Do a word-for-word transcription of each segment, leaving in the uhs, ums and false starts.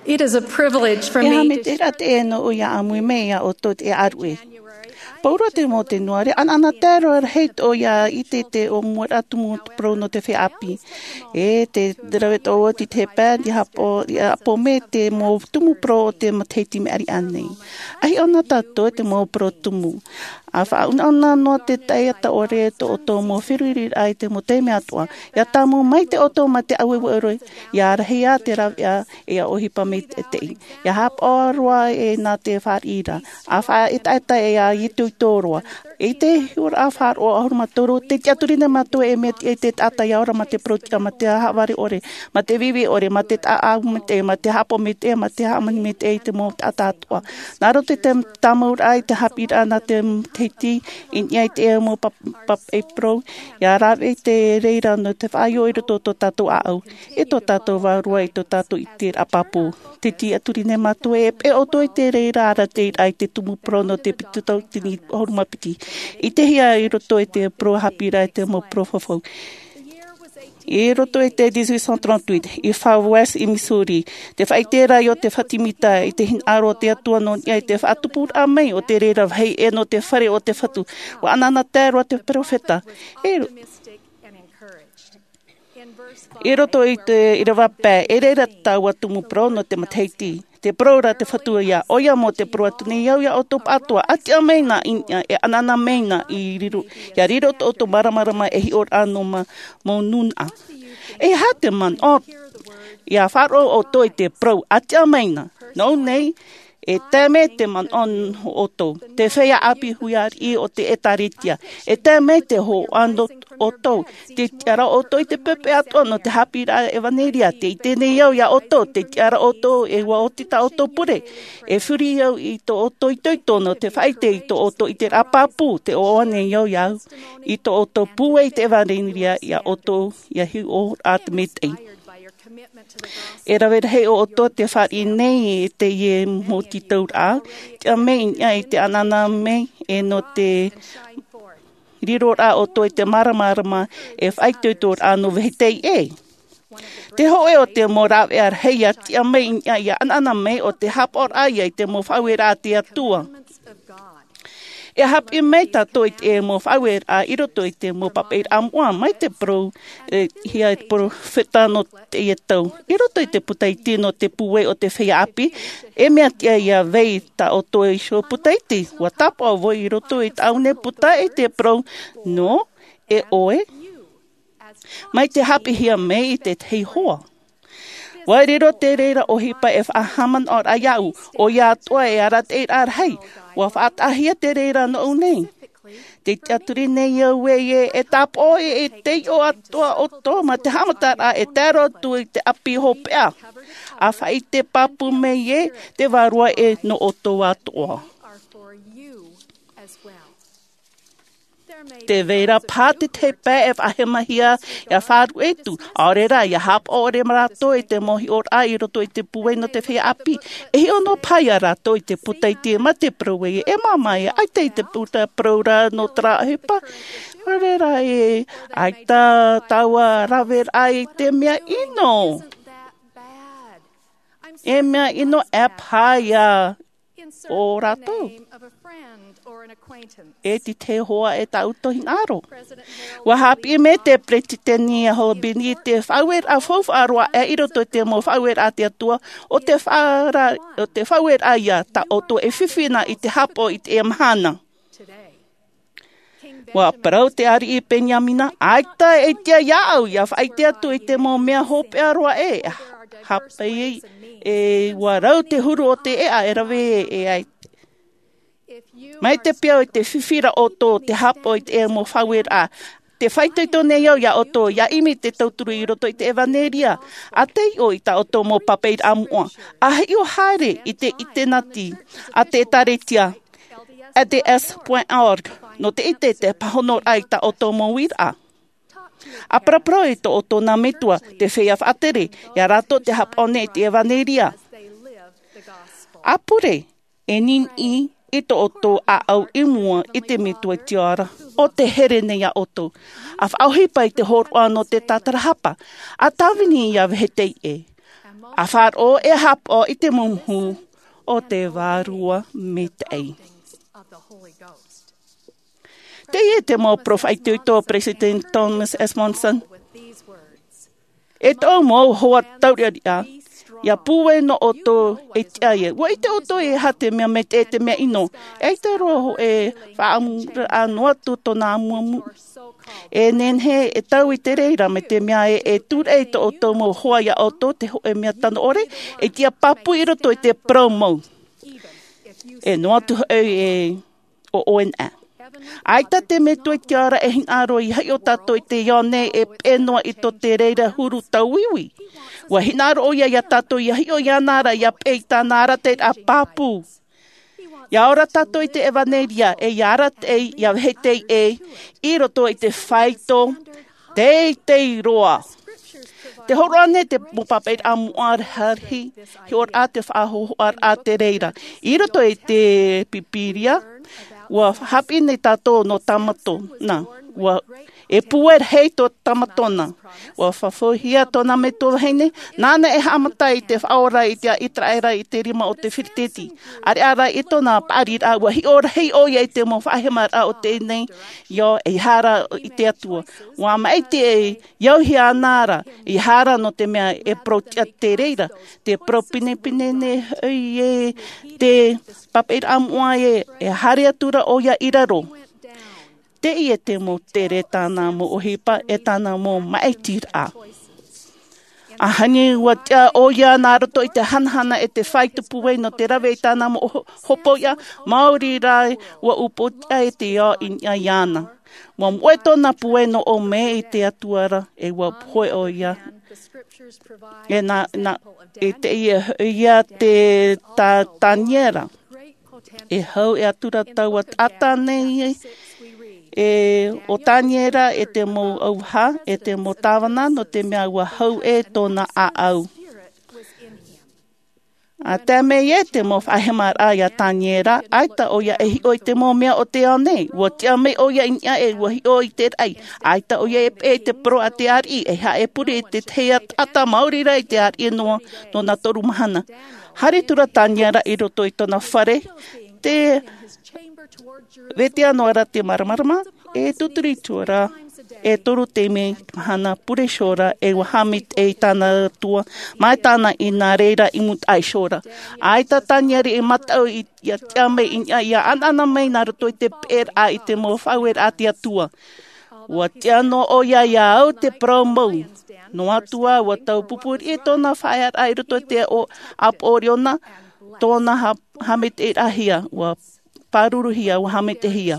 It is a privilege for E aha me te rā te e nō ʻoia ʻāmui mai iā ʻoutou te ʻāruʻe. Pauroa te mau tenuare, ʻanaʻana tae roa rahi tō ia i te te o mua rā tumu parau nō te feiā ʻāpī. E te rave tō oti te pā, i hapo, i hapo mai te mau tumu parau o te matahiti mea riʻa nei. Ahi ʻona tātou te mau parau tumu. A faʻaunauna noa te taiata ʻore tō ʻoutou mau feruriraʻa i te mau taime atoʻa. Ia tāmau mai te ʻoutou ma te ʻaueue ʻore, ia rahi ā te ravea, e ia ʻohipa mai te teʻi. Ia hapaʻo roa e nā te fāriʻi ra. A faʻaetaeta e ia itoito roa. I te hiʻoraʻa faʻaroʻo ʻahuru mā toru, te tiʻaturi nei mātou e mea tiʻa i te taʻata ia ora ma te parau tiʻa, ma te haʻavare ʻore, ma te vivi ʻore, ma te taʻa ʻau maitaʻi, ma te haʻapaʻo maitaʻi, ma te hāmani maitaʻi i te mau taʻata atoʻa. Nā roto i te tāmauraʻa i te haʻapiʻiraʻa nā te matahiti, i niʻa i te mau pap-, pāpaʻi parau, ia rave i te reira nō te faʻaʻite i roto tō tātou ʻāʻau, i tō tātou vārua, i tō tātou ʻiteraʻa pāpū. Te tiʻaturi nei mātou e peʻe ʻoutou i te reira arataʻiraʻa i te tumu parau nō te piti tauatini ʻahuru mā piti. I te hia i roto i te parau haʻapiʻiraʻa i te mau parau fafau. I roto i te dix-huit cent trente-huit, i Far West, i Missouri, te faʻaʻiteraʻa o te Fatimita i te hinaʻaro o te Atua nō niʻa i te faʻatupuraʻa mai o te reira vāhi ʻē nō te fare o te Fatu. ʻUa ʻanaʻana tae roa te peropheta. E ro-, i roto i te ʻīrava pae, e reira taua tumu parau nō te matahiti. Te parau ra te Fatu ia, ʻoia mau te parau atu nei au ia ʻoutou pāʻatoʻa, ʻa tiʻa mai na i niʻa, e ʻanaʻana mai na i riro, ia riro tō ʻoutou māramarama e hiʻoraʻa nō ma-, mau nūnaʻa. E aha te manaʻo, ia faʻaroʻo ʻoutou i te parau, ʻa tiʻa mai na. Nō ʻō nei, e tae mai te manaʻo nō ʻoutou. Te feiā ʻāpī huiraʻatira o te ʻĒtārētia. E tae mai te hōhoʻa nō ʻoutou. Te tiʻaraʻa ʻoutou i te pepe atoʻa nō te haʻapiʻiraʻa ʻevanelia. Tē ʻite nei au ia ʻoutou. Te tiʻaraʻa ʻoutou e ʻua oti tā ʻoutou pure. E furi au i tō ʻoutou itoito nō te faʻaʻite i tō ʻoutou ʻiteraʻa pāpū. Tē ʻoaʻoa nei au ia au. I tō ʻoutou pūai i te ʻevanelia ia ʻoutou ia hiʻo atu maitaʻi. E rave rahi ʻo ʻoutou te fāriʻi nei i teie mau tītauraʻa, tiʻa mai i niʻa i te ʻanaʻana mai e nō te riroraʻa ʻoutou i te māramarama e faʻaitoitoraʻa nō vāhi teie. Te hōʻē o te mau rāveʻa rahi ia tiʻa mai i niʻa ia ʻanaʻana mai ʻo te haʻapaʻoraʻa ia i te mau faʻaueraʻa a te Atua. E haʻapiʻi mai tātou i te mau faʻaueraʻa i roto i te mau pāpaʻiraʻa moʻa mai te parau, e, hia e te peropheta nō teie tau. I roto i te puta iti nō te pūai o te feiā ʻāpī, e mea tiʻa ia vai tā ʻoutou iho puta iti. ʻUa tāpaʻo vau i roto i tāʻu nei puta i te parau, nō, e ʻoe, mai te haʻapiʻihia mai i te tahi hoa. ʻUa riro te reira ʻohipa e faʻahaʻamanaʻoraʻa iāʻu, ʻoia atoʻa e arataʻiraʻa rahi, ʻua faʻataʻahia te reira nōʻu nei. Tē tiʻaturi nei au ē, e tāpaʻo e, e taiʻo atoʻa ʻoutou ma te haʻamataraʻa e tae roa atu i te ʻāpī hopeʻa. ʻA faʻaʻite pāpū mai ē, te vārua ē nō ʻoutou atoʻa. Tē vai ra paha te tahi pae e faʻahemahia ia faʻaruʻe atu, ʻaore rā, ia haʻapaʻo ʻore rātou i te mau hiʻoraʻa i roto i te pūai nō te feiā ʻāpī. E hiʻo noa paha ia rātou i te puta iti ma te parau ē, e māmā ē, ʻaita i te puta parau ra nō terā ʻohipa. ʻAore rā ē, ʻaita taua raveraʻa i te mea ʻino. E mea ʻino ʻē paha ia ʻo rātou. E te tahi hoa e tāʻu hinaʻaro. ʻUa haʻapiʻi mai te peresideni a Hobini te faʻaueraʻa faufaʻa roa aʻe i roto i te mau faʻaueraʻa a te Atua, ʻo te faʻara-, ʻo te faʻaueraʻa ia tā ʻoutou e fifi na i te haʻapaʻo i teie mahana. ʻUa parau te ariʻi Beniamina, ʻaita e tiʻa iāʻu ia faʻaʻite atu i te mau mea hopeʻa roa ē, hape e ʻua rau te huru o te ʻēʻa e rave e ai. Mai te peu i te fifi ra ʻoutou te haʻapaʻo i te mau faʻaueraʻa, tē faʻaitoito nei au ia ʻoutou, ia ʻimi te tauturu i roto i te ʻevanelia, ʻa taiʻo i tā ʻoutou mau pāpaʻiraʻa moʻa, ʻa hiʻo haere i te ʻiteneti a te ʻĒtārētia, L D S point org, nō te ʻite i te pāhonoraʻa i tā ʻoutou mau uiraʻa. ʻA paraparau i tō ʻoutou nā metua, te feiā faʻatere, ia rātou te haʻapaʻo nei i te ʻevanelia. ʻA pure, e niniʻi i tō ʻoutou ʻāʻau i mua i te Metua i te ao ra, ʻo tē here nei ia ʻoutou. ʻA faʻaʻohipa i te hōroʻa nō te tātarahapa, ʻa tāvini ia vāhi teie. A faʻaroʻo e haʻapaʻo i te mumuhu o te vārua maitaʻi. Teie te mau poroʻi faʻaitoito o Peresideni Thomas S. Monson. E tō mau hoa tauriʻariʻa, ia pūai nō ʻoutou e tiʻa ia. ʻUa ʻite ʻoutou e aha te mea maitaʻi, te mea ʻino. ʻAita roa hōʻē faʻaʻamuraʻa noa atu tōna amuamu. E nehenehe e tau i te reira, mai te mea e, e tūraʻi tō ʻoutou mau hoa ia ʻoutou te hōʻē mea tano ʻore, e tiʻa pāpū i roto i te parau mau. E noa atu hoʻi e ʻo ʻoe nā. ʻAita te Metua i te ao ra e hinaʻaro ia hiʻo tātou i teie ao nei e peʻe noa i tō te reira huru tauiui. ʻUa hinaʻaro ʻoia ia tātou ia hiʻo iāna ra ia peʻe i tāna arataʻiraʻa pāpū. Ia ora tātou i te ʻevaneria e ia arataʻi, ia vāhi teie i roto i te faito teitei roa. Tē hōroʻa nei te mau pāpaʻiraʻa moʻa rahi, hiʻoraʻa te faʻahōhoʻaraʻa te reira. I roto i te Pīpīria, ʻua haʻapiʻi nei tātou nō Tamatona. ʻUa, e pūai rahi tō Tamatona. ʻUa faʻahoʻihia tōna metua vahine, nāna e haʻamata i te faʻaora i te ʻĪteraʻera i te rima o te Filitisiti. ʻAreʻa rā i tōna paʻariraʻa, ʻua hiʻo rahi ʻoia i te mau faʻahemaraʻa o teie nei ao, e ʻeiaha rā i te Atua. ʻUa maʻiti e, e auhia ana ra, ʻeiaha rā nō te mea e parau tiʻa te reira, te parau pinepine nei hoʻi e te pāpaʻiraʻa moʻa e, e haere atu ra ʻoia i raro. Teie te mau tere tāna mau ʻohipa e tāna mau maʻitiraʻa. ʻAhani ʻua tiʻa ʻoia nā roto i te hanahana e te faito pūai nō te rave i tāna mau ho-, hopoiʻa, maori rā ʻua upoʻotiʻa e te ao i niʻa iāna. ʻUa moʻe tōna pūai nō ʻō mai i te Atua ra, e ʻua pohe ʻoia. E nā, nā, e teie, ia te tā-, Taniera. E hau e atura taua taʻata nei, e, ʻo Taniera e te mau auaha, e te mau tāvana, nō te mea ʻua hau ʻē tōna ʻāʻau. ʻA tae mai ē te mau faʻahemaraʻa ia Taniera, ʻaita ʻoia e hiʻo i te mau mea o te ao nei, ʻua tiʻa mai ʻoia i niʻa e ʻua hiʻo i te raʻi, ʻaita ʻoia e peʻe i te parau a te ariʻi, ʻeiaha e pure i te tahi taʻata maori rā i te ariʻi noa, nō nā toru mahana. Haere atu ra Taniera i roto i tōna fare, tē vete noa ra te māramarama, e tūturi atu ra, e toru taime i te mahana pure iho ra, e ʻua haʻamaitaʻi i tāna Atua, mai tāna i nā reira i mūtaʻa iho ra. ʻAita Taniera i mataʻu i, ia tiʻa mai i niʻa, ia ʻanaʻana mai nā roto i te peʻeraʻa i te mau faʻaueraʻa a te Atua. ʻUa tiʻa noa ʻoia ia au te parau mau. Noa atu ā, ʻua taupupū riʻi tōna faʻaearaʻa i roto i te ʻo-, ʻāpoʻo liona, tōna ha-, haʻamaitaʻiraʻahia, ʻua pāruruhia, ʻua haʻamaitaʻihia.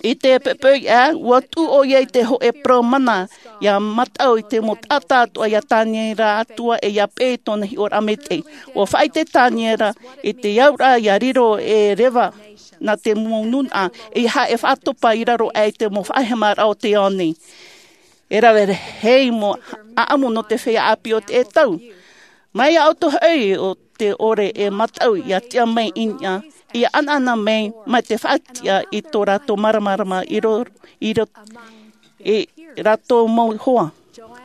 I te poʻipoʻi ā, ʻua tuʻu ʻoia i te hōʻē parau mana, ia mataʻu i te mau taʻata atoʻa ia Taniera atoʻa e ia peʻe i tōna hiʻoraʻa maitaʻi. ʻUa faʻaʻite Taniera i te auraʻa ia riro e reva nā te mau nūnaʻa, ʻeiaha e faʻatopa i raro aʻe i te mau faʻahemaraʻa o te ao nei. E rave rahi mau ʻāʻamu nō te feiā ʻāpī o teie tau. Mai iā ʻoutou hoʻi ʻo tē ʻore e mataʻu ia tiʻa mai i niʻa, ia ʻanaʻana mai, mai te faʻatiʻa i tō rātou māramarama i ro-, i ro-, i rātou mau hoa.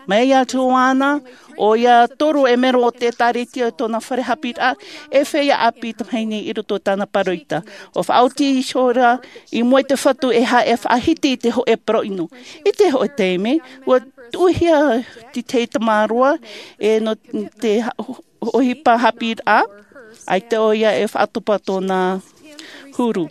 Mai iā Joana, ʻoia toru e mero o te ʻĒtārētia i tōna fare haʻapiʻiraʻa, e feiā ʻāpī tamahine i roto i tāna pāroita. ʻUa faʻaoti iho ra i mua i te Fatu ʻeiaha e faʻahiti i te hōʻē parau ʻino. I te hōʻē taime, ʻua tuʻuhia te tahi tamaroa, e nō te ha-, ʻohipa haʻapiʻiraʻa, ʻaita ʻoia e faʻatopa tōna huru.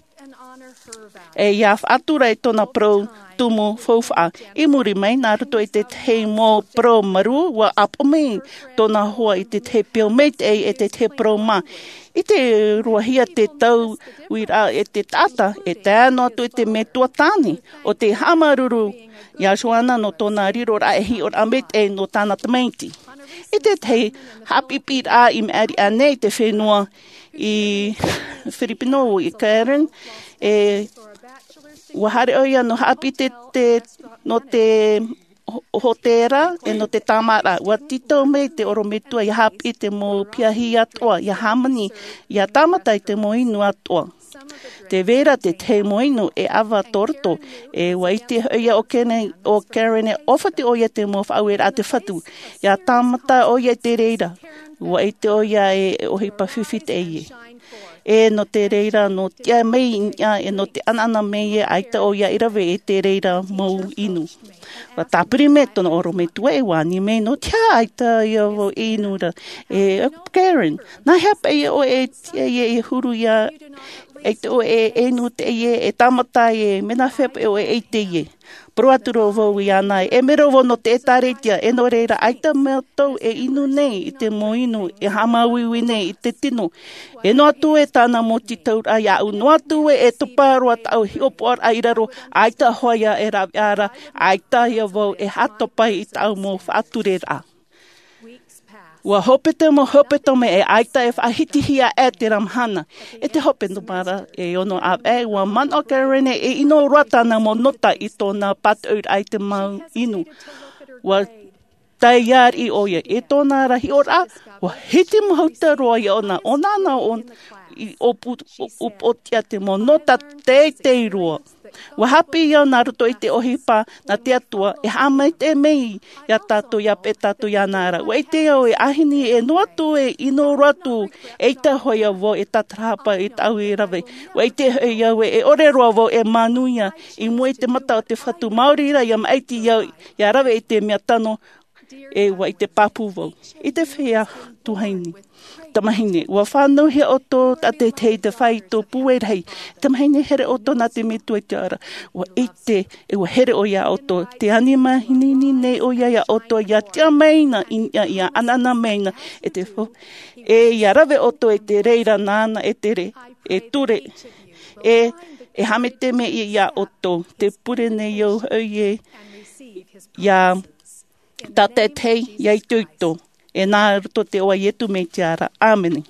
E ia faʻatura ra i tōna parau tumu faufaʻa. I muri mai, nā roto i te tahi mau parau marū, ʻua ʻāpoʻo mai tōna hoa i te tahi peʻo maitaʻi e te tahi parau mā. I te roahia te tauiraʻa e te taʻata, e tae noa atu i te metua tāne, ʻo tē haʻamāuruuru iā Joana nō tōna riroraʻa e hiʻoraʻa maitaʻi nō tāna tamaiti. I te tahi haʻapiʻiraʻa i maʻiri aʻe nei i te fenua i Filipino, i Karen, e ʻua haere ʻoia nō haʻapiʻi te, te, nō te ho-, hōtēra, e nō te tāmāraʻa. ʻUa tītau mai te ʻorometua ia haʻapiʻi te mau piahi atoʻa, ia hāmani, ia tāmata i te mau inu atoʻa. Te vera te tahi mau inu e ʻava tō roto, e ua ʻite hoʻi ia ʻo Karen, ʻo Karen e ʻōfati ʻo ia te mau faʻaueraʻa a te Fatu. ʻIa tāmata ʻo ia i te reira, ua ʻite ʻo ia e ʻohipa fifi teie. E nō te reira, nō te tiʻa mai i niʻa, e nō te ʻanaʻana mai e ʻaita ʻo ia i rave i te reira mau inu. Ua tāpiri mai tōna ʻorometua e ua ani mai, nō te aha ʻaita ia vau e inu ra? E Karen, nā hea paʻi ʻoe e tiʻa ia e huru ia, ʻaita ʻoe e inu teie, e tāmata e, mea nā hea paʻi ʻoe e ʻite ia? Parau atu ra vau iāna, e mea ra vau nō te ʻĒtārētia, e nō reira, ʻaita mātou e inu nei i te mau inu, e haʻamāuiui nei i te tino. E noa atu e tāna mau tītauraʻa iāʻu, noa atu e, e topa roa tāʻu hiʻopoʻaraʻa i raro, ʻaita hoʻi ia e rāveʻa ra, ʻaita ia vau e haʻatopa i tāʻu mau faʻatureraʻa. Ua hope te mau hepetoma e ʻaita e faʻahitihia e terā mahana. E te hepetoma ra e ono ʻāvaʻe, ua manaʻo Karen e inu roa tāna mau nota i tōna pātoʻiraʻa i te mau inu. Ua taiariʻi ʻo ia i tōna ra hiʻoraʻa, ua hiti mahuta roa ia ʻōna, ʻōna nā ʻōna i ʻōpu-, ʻō-, ʻōpuʻotiʻa te mau nota teitei roa. Ua haʻapiʻi au nā roto i te ʻohipa nā te Atua, e haʻamaitaʻi mai iā tātou, ʻia peʻe tātou iāna ra. Ua ʻite au e ʻāhini e noa atu e inu roa atu, ʻaita hoʻi ia vau e tātarahapa i tāʻu e rave. Ua ʻite hoʻi au e, e ʻore roa vau e manuia i mua i te mata o te Fatu, maori rā ʻia maʻiti au ʻia rave i te mea tano, e ua ʻite pāpū vau. I te feiā tuahine, tamāhine, ua fānauhia ʻoutou tātaʻitahi i te fāito pūai rahi. Tamāhine, here ʻoutou nā te Metua i te ao ra. Ua ʻite, e ua here ʻoia iā ʻoutou. Tē ani mahana nei ʻoia iā ʻoutou, ʻia tiʻa mai na i niʻa, ʻia ʻanaʻana mai na, e te fo-, e ʻia rave ʻoutou i te reira nāna e tere, e ture, e, e haʻamaitaʻi mai iā ʻoutou. Tē pure nei au hoʻi ē, ʻia tātaʻitahi, ʻia itoito. E nā roto i te iʻoa o Iesu Mesia ra. ʻĀmene.